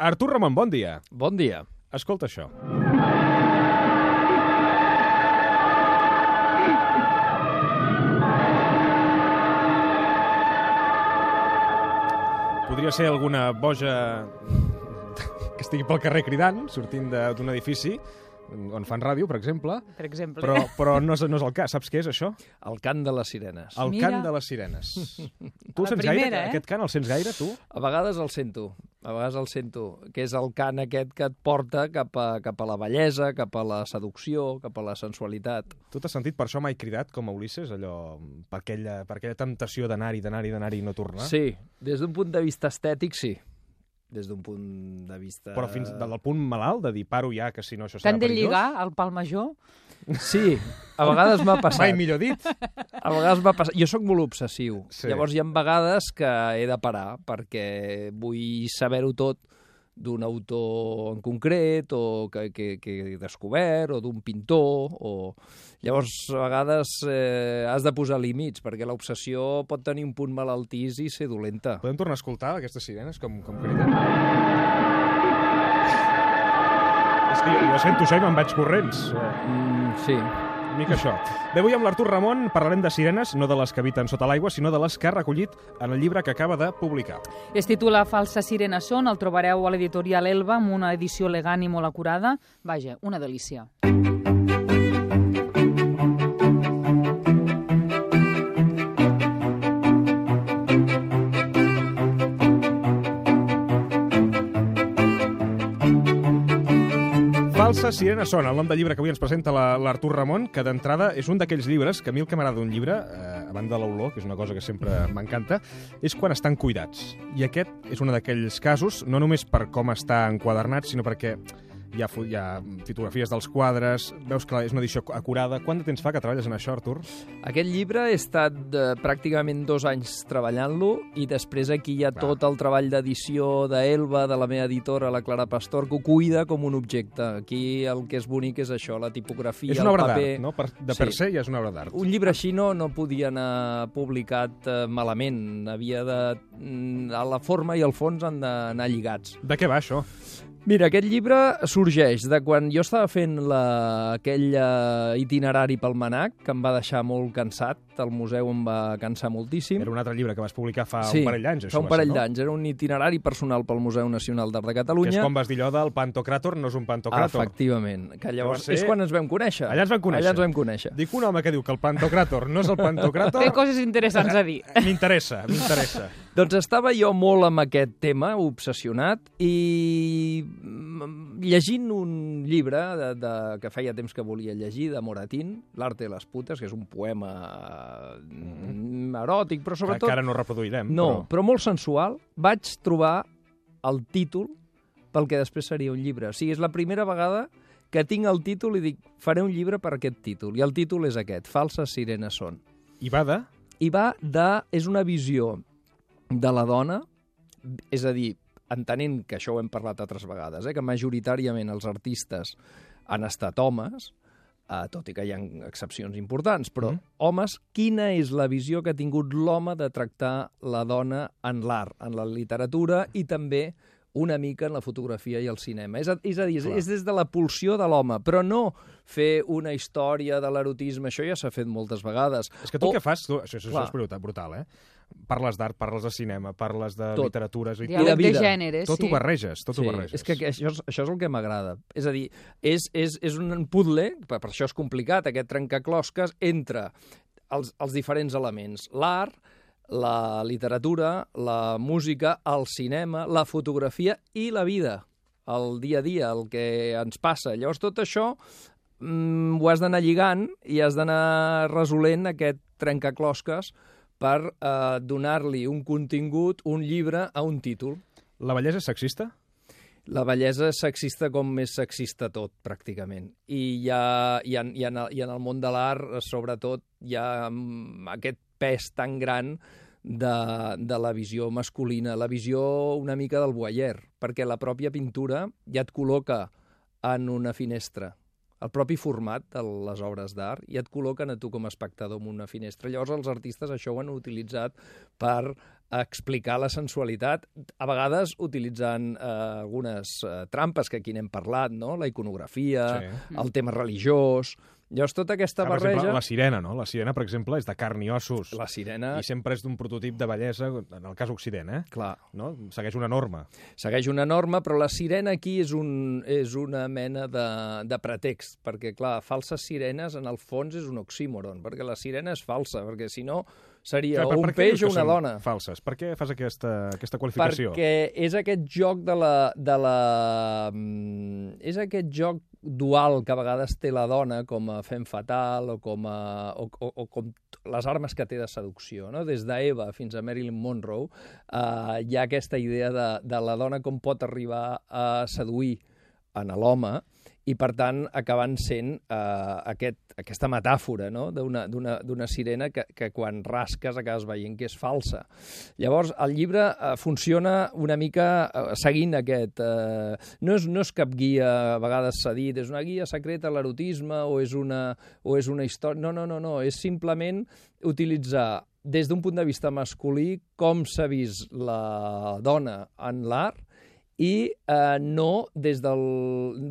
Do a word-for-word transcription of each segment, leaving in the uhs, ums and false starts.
Artur Ramon, bon dia. Bon dia. Escolta això. Podria ser alguna boja que estigui pel carrer cridant, sortint d'un edifici on fan ràdio, per exemple, Per exemple. però, però no, és, no és el cas. Saps què és això? El cant de les sirenes. El Mira. cant de les sirenes. Tu el la sents primera, gaire? eh? Aquest cant el sents gaire, tu? A vegades el sento, a vegades el sento, que és el cant aquest que et porta cap a, cap a la bellesa, cap a la seducció, cap a la sensualitat. Tu t'has sentit per això mai cridat com a Ulisses, allò, per aquella, per aquella temptació d'anar-hi, d'anar-hi, d'anar-hi i no tornar? Sí, des d'un punt de vista estètic, sí. Des d'un punt de vista... Però fins del punt malalt de dir paro ja, que si no això serà T'han de perillós? lligar al pal major? Sí, a vegades m'ha passat. Mai millor dit. A vegades m'ha passat. Jo sóc molt obsessiu. Sí. Llavors hi ha vegades que he de parar perquè vull saber-ho tot d'un autor en concret o que, que, que he descobert o d'un pintor. O... Llavors, a vegades eh, has de posar límits perquè l'obsessió pot tenir un punt malaltís i ser dolenta. Podem tornar a escoltar aquestes sirenes com, com criden? És que jo sento això i me'n vaig corrents. Mm, sí. Una mica això. Bé, avui amb l'Artur Ramon parlarem de sirenes, no de les que habiten sota l'aigua, sinó de les que ha recollit en el llibre que acaba de publicar. Es titula Falses sirenes són, el trobareu a l'editorial Elba amb una edició elegant i molt acurada. Vaja, una delícia. Falses sirenes són el nom del llibre que avui ens presenta l'Artur Ramon, que d'entrada és un d'aquells llibres que a mi el que m'agrada d'un llibre, eh, a banda de l'olor, que és una cosa que sempre m'encanta, és quan estan cuidats. I aquest és un d'aquells casos, no només per com està enquadernat, sinó perquè hi ha, hi ha fotografies dels quadres, veus que és una edició acurada. Quant de temps fa que treballes en això, Artur? Aquest llibre he estat eh, pràcticament dos anys treballant-lo i després aquí hi ha Va. tot el treball d'edició d'Elba, de la meva editora, la Clara Pastor, que ho cuida com un objecte. Aquí el que és bonic és això, la tipografia, És una el obra paper... d'art, no? Per, de per Sí. se ja és una obra d'art. Un llibre així no, no podia anar publicat eh, malament. Havia de... mm, A la forma i al fons han d'anar lligats. De què va això? Mira, aquest llibre sorgeix de quan jo estava fent la, aquell uh, itinerari pel Manac, que em va deixar molt cansat, el museu em va cansar moltíssim. Era un altre llibre que vas publicar fa Sí, un parell d'anys, això fa un va ser, parell no? d'anys. Era un itinerari personal pel Museu Nacional d'Art de Que Catalunya. és quan vas dir allò del Pantocràtor, no és un Pantocràtor. Efectivament, que llavors Va ser- és quan ens vam conèixer. Allà ens vam conèixer. Allà ens vam conèixer. Dic un home que diu que el Pantocràtor no és el Pantocràtor... Té coses interessants a dir. M'interessa, m'interessa. Doncs estava jo molt amb aquest tema, obsessionat, i mm, llegint un llibre de, de, que feia temps que volia llegir, de Moratín, L'arte de les putes, que és un poema mm, eròtic, però Que, sobretot... que ara no reproduirem. No, però... però molt sensual. Vaig trobar el títol pel que després seria un llibre. O sigui, és la primera vegada que tinc el títol i dic, faré un llibre per aquest títol. I el títol és aquest, Falses sirenes són. I va de... I va de... és una visió de la dona, és a dir, entenent que això ho hem parlat altres vegades, eh, que majoritàriament els artistes han estat homes, eh, tot i que hi ha excepcions importants, però Mm. homes, quina és la visió que ha tingut l'home de tractar la dona en l'art, en la literatura i també una mica en la fotografia i el cinema. És a, és a dir, és, Clar. és des de la pulsió de l'home, però no fer una història de l'erotisme, això ja s'ha fet moltes vegades. És que tu O- què fas? Tu, això, això Clar. és brutal, brutal, eh? Parles d'art, parles de cinema, parles de Tot. literatura... És a dir, Diàleg de vida. gènere, tot sí. ho barreges, tot ho Sí, barreges. és que que això, és, això és el que m'agrada. És a dir, és, és, és un puzzle, per, per això és complicat, aquest trencaclosques, entre els, els diferents elements. L'art, la literatura, la música, el cinema, la fotografia i la vida, el dia a dia, el que ens passa. Llavors, tot això mm, ho has d'anar lligant i has d'anar resolent aquest trencaclosques per eh, donar-li un contingut, un llibre, a un títol. La bellesa és sexista? La bellesa és sexista com és sexista tot, pràcticament. I, hi ha, i, en, i, en, el, I en el món de l'art, sobretot, hi ha mm, aquest pes tan gran de, de la visió masculina, la visió una mica del voyeur, perquè la pròpia pintura ja et col·loca en una finestra. El propi format de les obres d'art ja et col·loquen a tu com a espectador en una finestra. Llavors els artistes això ho han utilitzat per explicar la sensualitat, a vegades utilitzant eh, algunes eh, trampes que aquí n'hem parlat, no? La iconografia, sí. el tema religiós... Llavors, tota aquesta ah, per barreja... exemple, la sirena, no? La sirena, per exemple, és de carn i ossos. La sirena... I sempre és d'un prototip de bellesa, en el cas Occident, eh? Clar. No? Segueix una norma. Segueix una norma, però la sirena aquí és, un, és una mena de, de pretext, perquè, clar, falses sirenes, en el fons, és un oxímoron, perquè la sirena és falsa, perquè, si no, seria Clar, o un peix o una dona. Falses. Per què fas aquesta, aquesta qualificació? Perquè és aquest joc de la, de la... És aquest joc dual que a vegades té la dona com a femme fatal o com, a, o, o, o com les armes que té de seducció. No? Des d'Eva fins a Marilyn Monroe eh, hi ha aquesta idea de, de la dona com pot arribar a seduir en l'home i, per tant, acabant sent eh, aquest, aquesta metàfora, no? d'una sirena que, que quan rasques acabes veient que és falsa. Llavors, el llibre eh, funciona una mica eh, seguint aquest... Eh, no, és, no és cap guia, a vegades s'ha dit, és una guia secreta a l'erotisme o, és una, o és una història... No, no, no, no, és simplement utilitzar des d'un punt de vista masculí com s'ha vist la dona en l'art i eh, no des del...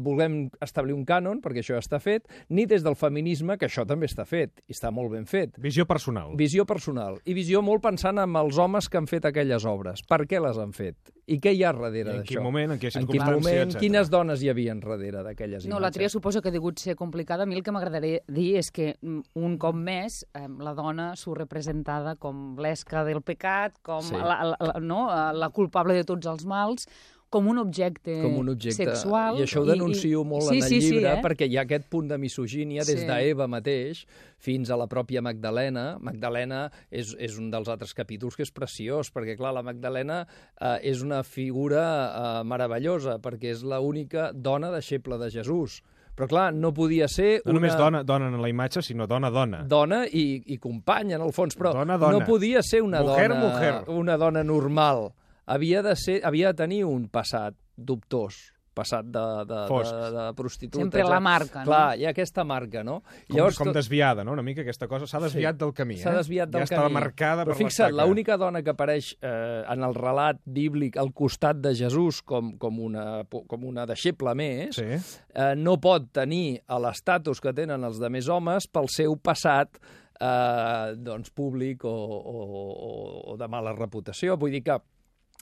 volem establir un cànon, perquè això ja està fet, ni des del feminisme, que això també està fet, i està molt ben fet. Visió personal. Visió personal. I visió molt pensant en els homes que han fet aquelles obres. Per què les han fet? I què hi ha darrere d'això? En quin moment, en quina circumstància, en quin moment, etcètera. Quines dones hi havia darrere d'aquelles imatges? No, la tria suposo que ha degut ser complicada. A mi el que m'agradaria dir és que un cop més eh, la dona surt representada com l'esca del pecat, com sí. la, la, no? la culpable de tots els mals, com un objecte, com un objecte sexual. I això ho denuncio i, molt sí, en el sí, llibre, sí, eh? perquè hi ha aquest punt de misogínia des sí. d'Eva mateix fins a la pròpia Magdalena. Magdalena és, és un dels altres capítols que és preciós, perquè, clar, la Magdalena eh, és una figura eh, meravellosa, perquè és l'única dona deixeble de Jesús. Però, clar, no podia ser no una... només dona, dona en la imatge, sinó dona-dona. Dona i, i companya, en el fons, però dona, dona. no podia ser una, mujer, dona, mujer. una dona normal. Havia de, ser, havia de tenir un passat dubtós, passat de, de, de, de prostituta. Sempre la marca, no? Clar, hi ha aquesta marca, no? Com, Llavors, com desviada, no? Una mica aquesta cosa. S'ha desviat sí, del camí, eh? S'ha desviat del ja camí. Ja estava marcada Però per fixa't, l'estaca. l'única dona que apareix eh, en el relat bíblic al costat de Jesús com, com, una, com una deixeble més, sí. eh, no pot tenir l'estatus que tenen els demés homes pel seu passat eh, doncs, públic o, o, o, o de mala reputació. Vull dir que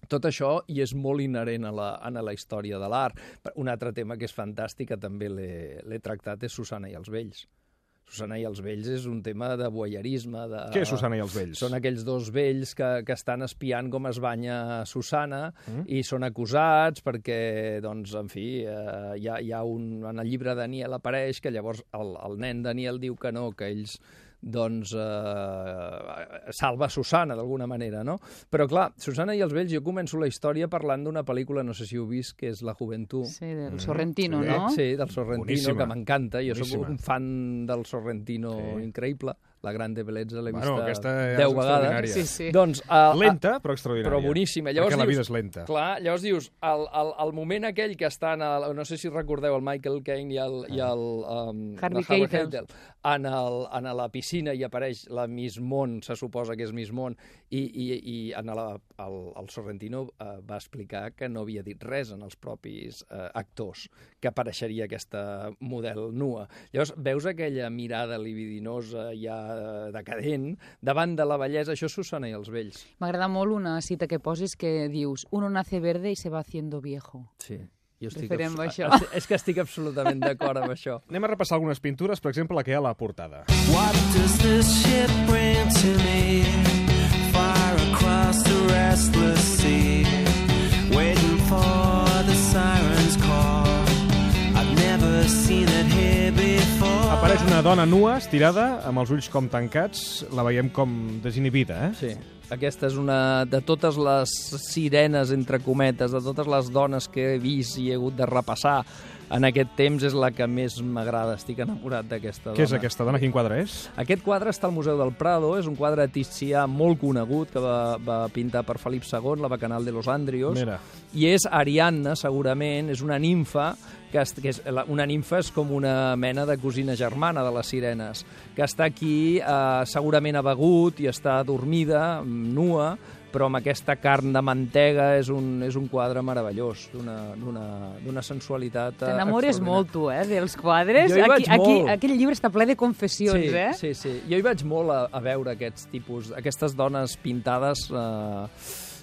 tot això hi és molt inherent a la, a la història de l'art. Un altre tema que és fantàstic, que també l'he tractat, és Susana i els vells. Susana i els vells és un tema de voyeurisme. De... Què és Susana i els vells? Són aquells dos vells que, que estan espiant com es banya Susana mm. i són acusats perquè, doncs, en fi, eh, hi ha, hi ha un... En el llibre Daniel apareix que llavors el, el nen Daniel diu que no, que ells doncs eh, salva Susana d'alguna manera, no? Però clar, Susana i els vells, jo començo la història parlant d'una pel·lícula, no sé si heu vist, que és La Juventud. Sí, del Sorrentino, sí, no? Sí, del Sorrentino, boníssima, que m'encanta. Jo boníssima. soc un fan del Sorrentino sí. increïble. La Grande Bellezza l'he bueno, vista deu vegades. Sí, sí. Doncs, uh, lenta, però extraordinària. Però boníssima. Llavors perquè dius, la vida és lenta. Clar, llavors dius, el, el, el moment aquell que està en el, no sé si recordeu el Michael Caine i el, i el um, Harvey Keitel en, el, en la piscina i apareix la Miss Món, se suposa que és Miss Món, i, i, i en la, el, el Sorrentino uh, va explicar que no havia dit res en els propis uh, actors, que apareixeria aquesta model nua. Llavors veus aquella mirada libidinosa ja decadent davant de la bellesa, això és Susana i els vells. M'agrada molt una cita que poses que dius uno nace verde y se va haciendo viejo. Sí. Jo estic Referem a això. És que estic absolutament d'acord amb això. Anem a repassar algunes pintures, per exemple, la que hi ha a la portada. What does this ship bring to me? Far across the restless sea, waiting for the siren's call. I've never seen it here before. Apareix una dona nua, estirada, amb els ulls com tancats. La veiem com desinhibida, eh? Sí. Aquesta és una de totes les sirenes, entre cometes, de totes les dones que he vist i he hagut de repassar en aquest temps, és la que més m'agrada. Estic enamorat d'aquesta dona. Què és aquesta dona? Quin quadre és? Aquest quadre està al Museu del Prado, és un quadre ticià molt conegut que va, va pintar per Felip segon, la Bacanal de los Andrios. Mira. I és Ariadna, segurament, és una nimfa, que, és, que és, una nimfa és com una mena de cosina germana de les sirenes, que està aquí, eh, segurament ha begut i està adormida, nua, però amb aquesta carn de mantega és un, és un quadre meravellós, d'una sensualitat T'enamores molt, tu, eh, dels quadres. Jo hi vaig aquí, aquí, molt. Aquest llibre està ple de confessions, sí, eh? Sí, sí. Jo hi vaig molt a, a veure aquests tipus, aquestes dones pintades. Eh,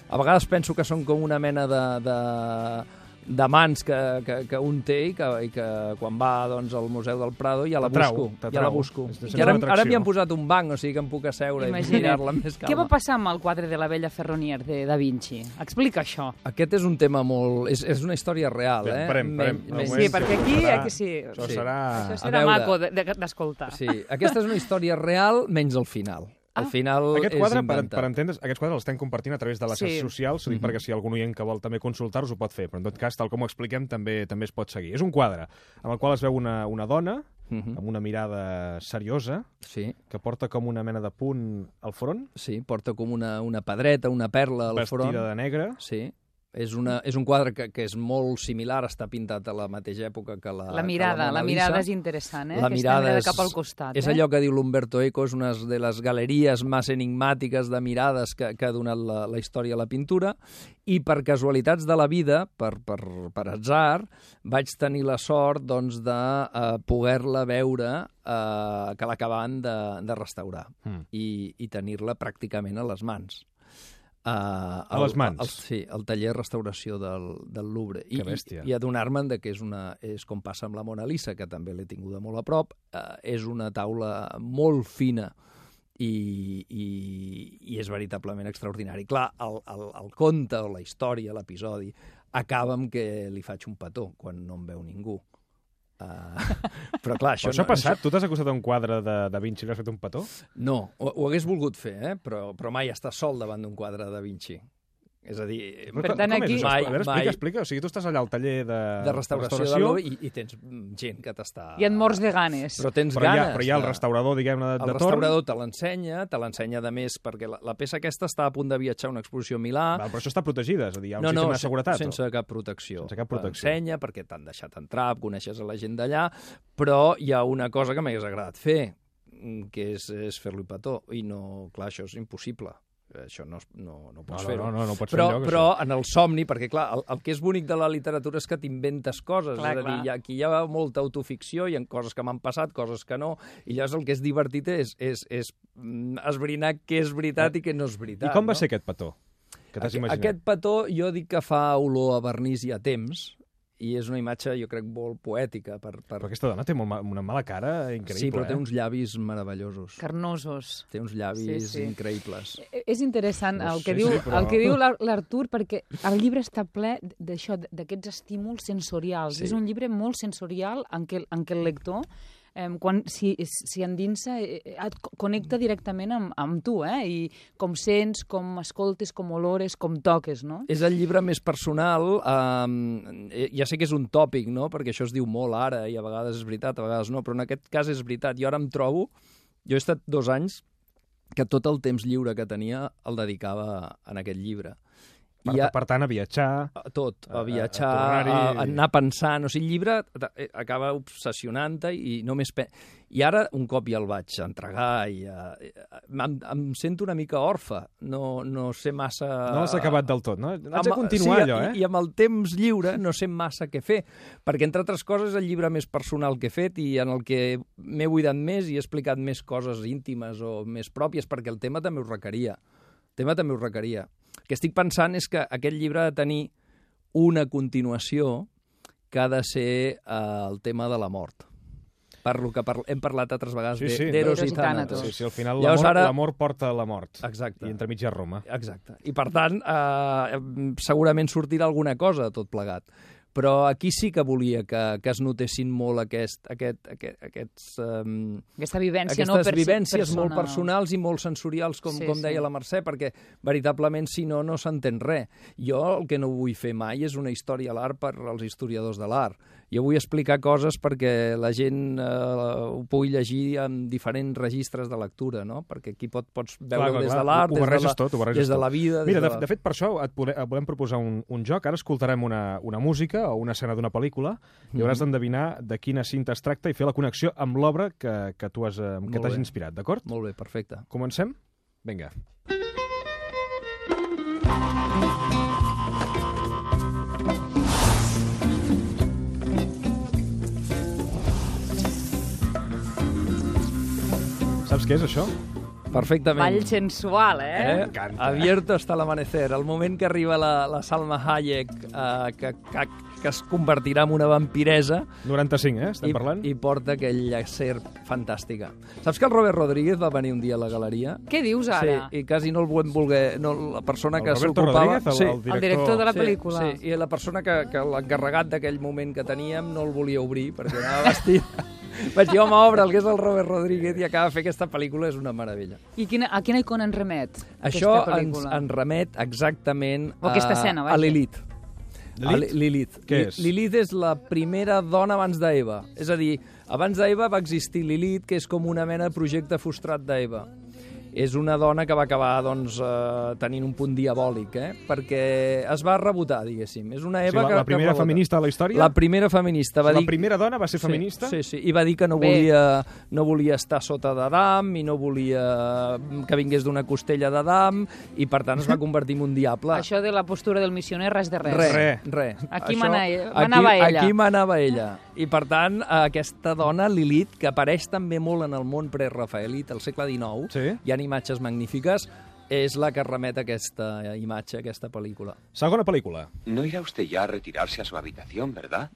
a vegades penso que són com una mena de... de d'amants que, que, que un té i que, i que quan va doncs, al Museu del Prado ja la busco. Ja la busco. I ara, ara m'hi han posat un banc, o sigui que em puc asseure Imagina't. i mirar-la més calma. Què va passar amb el quadre de la Bella Ferronier de Da Vinci? Explica això. Aquest és un tema molt... És, és una història real, eh? Parem, parem. Men, sí, perquè aquí... Serà, aquí sí. Això sí. serà... Això serà maco d'escoltar. Sí, aquesta és una història real menys al final. Al final Aquest quadre, és per, inventat. per entendre's, aquests quadres els estem compartint a través de les xarxes Sí. socials, ho dic perquè si algun oient que vol també consultar-los ho pot fer, però en tot cas, tal com ho expliquem, també també es pot seguir. És un quadre amb el qual es veu una, una dona Uh -huh. amb una mirada seriosa, sí. que porta com una mena de punt al front. Sí, porta com una, una pedreta, una perla al vestida front. de negre. Sí. És, una, és un quadre que, que és molt similar, està pintat a la mateixa època que la La mirada, que la, la mirada és interessant, eh? La mirada és, cap al costat. És eh? allò que diu l'Umberto Eco, és una de les galeries més enigmàtiques de mirades que, que ha donat la, la història a la pintura, i per casualitats de la vida, per, per, per atzar, vaig tenir la sort doncs, de uh, poder-la veure uh, que l'acabaven de, de restaurar mm. i, i tenir-la pràcticament a les mans. Uh, a les mans? El, el, sí, el taller de restauració del, del Louvre. Que bèstia. I, i adonar-me'n que és, una, és com passa amb la Mona Lisa, que també l'he tinguda molt a prop, uh, és una taula molt fina i, i, i és veritablement extraordinari. Clar, el, el, el conte o la història, l'episodi, acaba amb que li faig un petó quan no em veu ningú. Uh, però clar, això... Però això no, ha passat? Això... Tu t'has acostat a un quadre de Da Vinci i li has fet un petó? No, ho, ho hagués volgut fer, eh? però, però mai està sol davant d'un quadre de Da Vinci. És a dir... Per tant, aquí... És? Mai, a veure, explica, mai... explica. O sigui, tu estàs allà al taller de, de restauració, de l'O i, i tens gent que t'està... I et mors de ganes. Però tens però ganes. Hi ha, però hi ha el restaurador, diguem-ne, de, de torn. El restaurador te l'ensenya, te l'ensenya de més, perquè la, la peça aquesta està a punt de viatjar a una exposició a Milà. Val, però això està protegida, és a dir, hi ha un no, sistema no, de seguretat. sense o? cap protecció. Sense cap protecció. T'ensenya perquè t'han deixat entrar, coneixes a la gent d'allà, però hi ha una cosa que m'hagués agradat fer, que és, és fer-li petó, i no, clar, això és impossible. Això no, no, no pots no, fer-ho. No, no, no, no pots però, fer enlloc, però en el somni, perquè clar, el, el que és bonic de la literatura és que t'inventes coses, clar, és a dir, hi ha, aquí hi ha molta autoficció, hi ha coses que m'han passat, coses que no, i llavors el que és divertit és, és, és esbrinar què és veritat i què no és veritat. I com va no? ser aquest petó? Que t'has imaginat? Aquest petó jo dic que fa olor a vernís i a temps, i és una imatge, jo crec, molt poètica. Per, per... Però aquesta dona té molt ma una mala cara increïble, Sí, però eh? té uns llavis meravellosos. Carnosos. Té uns llavis sí, sí. increïbles. És interessant no el que sé, diu, sí, però... el que diu l'Artur, perquè el llibre està ple d'això, d'aquests estímuls sensorials. Sí. És un llibre molt sensorial en què, en què el lector eh, quan s'hi si endinsa, eh, et connecta directament amb, amb tu, eh? I com sents, com escoltes, com olores, com toques, no? És el llibre més personal, eh, ja sé que és un tòpic, no?, perquè això es diu molt ara, i a vegades és veritat, a vegades no, però en aquest cas és veritat. Jo ara em trobo, jo he estat dos anys que tot el temps lliure que tenia el dedicava a aquest llibre. Per, I a, per tant, a viatjar... A tot, a viatjar, a, a, a, a anar pensant. O sigui, el llibre acaba obsessionant-te i només... Pe... I ara, un cop ja el vaig entregar i uh, em, em sento una mica orfe. No, no sé massa... No l'has acabat del tot, no? Haig de continuar, sí, allò, eh? I, I amb el temps lliure no sé massa què fer, perquè, entre altres coses, és el llibre més personal que he fet i en el que m'he buidat més i he explicat més coses íntimes o més pròpies, perquè el tema també ho requeria. El tema també ho requeria. El que estic pensant és que aquest llibre ha de tenir una continuació que ha de ser eh, el tema de la mort. Per lo que par hem parlat altres vegades sí, sí, d'Eros no. i Tànatos. Sí, sí, al final l'amor ara... porta a la mort. Exacte. I entremig hi ha Roma. Exacte. I per tant, eh, segurament sortirà alguna cosa de tot plegat. Però aquí sí que volia que, que es notessin molt aquest, aquest, aquest, aquests, um, Aquesta vivència, aquestes no? Aquestes vivències persona... molt personals i molt sensorials, com, sí, com deia sí. la Mercè, perquè veritablement, si no, no s'entén res. Jo el que no vull fer mai és una història a l'art per als historiadors de l'art. Jo vull explicar coses perquè la gent eh, ho pugui llegir en diferents registres de lectura, no? Perquè aquí pot, pots veure des de l'art, des, de la, tot, des de la vida... Mira, de, de, la... de fet, per això et, pode, et volem proposar un, un joc. Ara escoltarem una, una música o una escena d'una pel·lícula i hauràs d'endevinar de quina cinta es tracta i fer la connexió amb l'obra que, que tu has, que t'has inspirat, d'acord? Molt bé, perfecte. Comencem? Vinga. Saps què és, això? Perfectament. Ball sensual, eh? Eh? M'encanta. Abierto hasta l'amanecer. El moment que arriba la, la Salma Hayek, eh, que, que, que es convertirà en una vampiresa, noranta-cinc, eh? Estem i, parlant? i porta aquella serp fantàstica. Saps que el Robert Rodríguez va venir un dia a la galeria? Què dius ara? Sí, i quasi no el volem voler... No, la persona El que Roberto s'ocupava... Rodríguez, el, sí. el director... El director de la Sí, pel·lícula. Sí, i la persona que, que l'encarregat d'aquell moment que teníem no el volia obrir perquè anava vestit. Vaig dir, home, obre'l, que és el Robert Rodríguez i acaba de fer aquesta pel·lícula, és una meravella. I quina, a quina icona en remet? Això aquesta ens, pel·lícula? ens remet exactament O aquesta escena, a vaja. Lilith. Lilith? A Li- Lilith. Què Li- és? Lilith és la primera dona abans d'Eva. És a dir, abans d'Eva va existir Lilith, que és com una mena de projecte frustrat d'Eva. És una dona que va acabar doncs, eh, tenint un punt diabòlic, eh? perquè es va rebotar, diguéssim. És una O Eva sigui, la, que, la primera que rebota. feminista de la història? La primera feminista. Va la dir... primera dona va ser feminista? Sí, sí, sí, i va dir que no Bé. volia, no volia estar sota d'Adam i no volia que vingués d'una costella d'Adam i per tant es va convertir en un diable. Això de la postura del missioner, res de res. Res, Res. res. Aquí Això- mana ella- aquí- manava ella. Aquí manava ella. I per tant, aquesta dona, Lilith, que apareix també molt en el món prerafaelit, al segle dinou, Sí. hi ha imatges magnífiques, és la que remet a aquesta imatge, a aquesta pel·lícula. Segona pel·lícula. No irá usted ya a retirarse a su habitación, ¿verdad?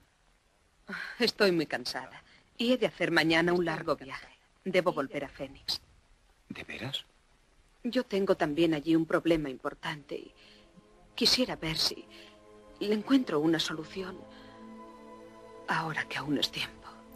Estoy muy cansada y he de hacer mañana un largo viaje. Debo volver a Fénix. ¿De veras? Yo tengo también allí un problema importante y quisiera ver si le encuentro una solución ahora que aún es tiempo.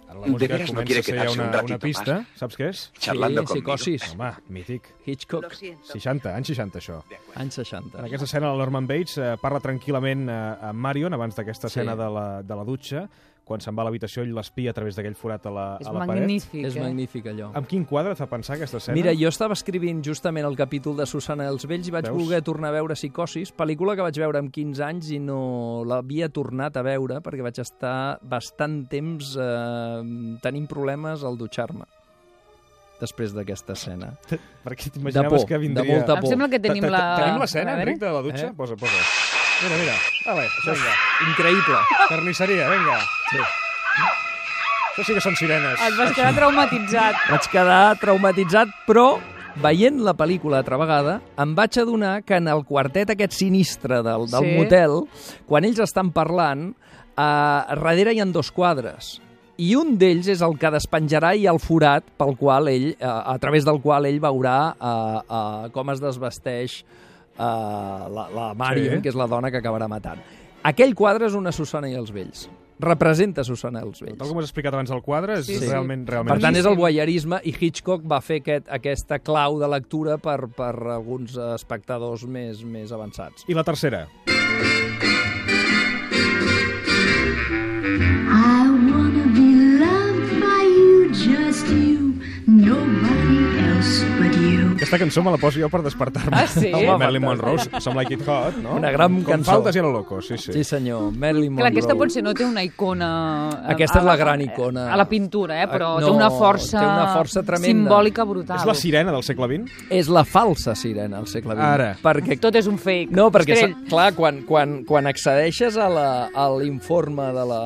Ara De la música veres no comença quiere a ser ja quedarse una, un ratito una pista. más. Saps què és? Charlando sí, conmigo. psicosis. Home, mític. Hitchcock, Lo siento. seixanta, anys seixanta, això. anys seixanta. En aquesta escena, el Norman Bates eh, parla tranquil·lament eh, amb Marion abans d'aquesta Sí. escena de la, de la dutxa. Quan se'n va a l'habitació, ell l'espia a través d'aquell forat a la, És a la paret. magnífic, És eh? magnífic, allò. Amb quin quadre et fa pensar aquesta escena? Mira, jo estava escrivint justament el capítol de Susana dels Vells i vaig Veus? voler tornar a veure Psicosis, pel·lícula que vaig veure amb quinze anys i no l'havia tornat a veure perquè vaig estar bastant temps eh, tenint problemes al dutxar-me després d'aquesta escena. Perquè De t'imaginaves por, que vindria... de molta Em por. sembla que tenim Ta- ta- la... Tenim l'escena, A veure. Enric, de la dutxa? Eh? Posa, posa. Mira, mira. Vale, vinga. Increïble. Carnisseria, vinga. Sí. Això sí que són sirenes. Et vas quedar traumatitzat. Vaig quedar traumatitzat, però veient la pel·lícula altra vegada, em vaig adonar que en el quartet aquest sinistre del, del Sí. motel, quan ells estan parlant, eh, darrere hi ha dos quadres. I un d'ells és el que despenjarà i el forat pel qual ell, eh, a través del qual ell veurà eh, eh, com es desvesteix eh, la, la Marion, Sí. que és la dona que acabarà matant. Aquell quadre és una Susana i els Vells. Representa Susana i els Vells. Tal com has explicat abans del quadre, és Sí, sí. realment, realment... Per tant, és el voyeurisme i Hitchcock va fer aquest, aquesta clau de lectura per, per alguns espectadors més, més avançats. I la tercera? I wanna be loved by you, just you, nobody else but you. Aquesta cançó me la poso jo per despertar-me. Ah, sí? Home, Marilyn fantàstic. Monroe, Some Like It Hot, no? Una gran Com cançó. faltes i a lo loco, sí, sí. Sí, senyor. Marilyn Monroe. Clar, aquesta potser no té una icona... eh, Aquesta a és la gran icona. A la pintura, eh? però No, té una força, té una força tremenda. simbòlica brutal. És la sirena del segle vint? És la falsa sirena al segle vint. Ara. Perquè Tot és un fake. No, perquè, Estrell. sa- clar, quan, quan, quan accedeixes a la- a l'informe de, la,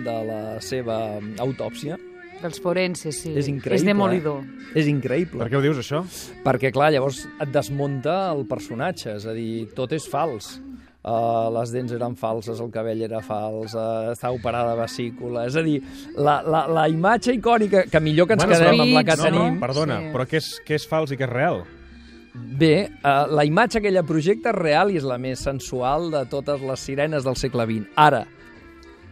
de la seva autòpsia, Dels forenses, sí. és increïble. És demolidor. Eh? És increïble. Per què ho dius, això? Perquè, clar, llavors et desmunta el personatge, és a dir, tot és fals. Uh, les dents eren falses, el cabell era fals, uh, està operada de vesícula... És a dir, la, la, la imatge icònica, que millor que ens Bueno, quedem amb la que no, tenim... no. Perdona, Sí. però què és, què és fals i què és real? Bé, uh, la imatge que ella projecta és real i és la més sensual de totes les sirenes del segle vint. Ara,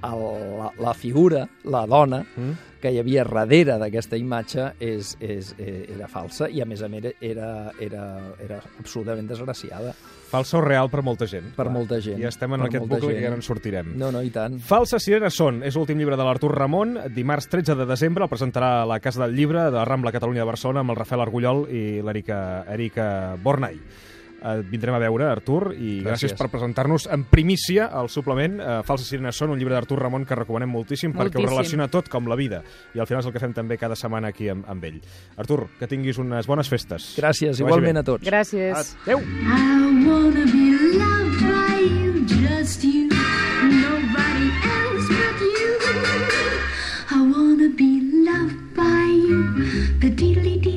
el, la, la figura, la dona, Mm? que hi havia darrere d'aquesta imatge és, és, eh, era falsa i, a més a més, era, era, era absolutament desgraciada Falsa o real per molta gent. per Clar. molta gent. I estem en per aquest molta bucle gent. que ja no en sortirem. No, no, i tant. Falses sirenes són, és l'últim llibre de l'Artur Ramon. Dimarts tretze de desembre el presentarà a la Casa del Llibre de la Rambla Catalunya de Barcelona amb el Rafael Argullol i l'Erika Erika Bornai. Et vindrem a veure, Artur, i gràcies, Gràcies. per presentar-nos en primícia el suplement eh, Falses sirenes són, un llibre d'Artur Ramon que recomanem moltíssim, perquè ho Moltíssim. relaciona tot com la vida. I al final és el que fem també cada setmana aquí amb, amb ell. Artur, que tinguis unes bones festes. Gràcies, Que vagi igualment bé. a tots. Gràcies. Adéu! I wanna be loved loved by you. The diddly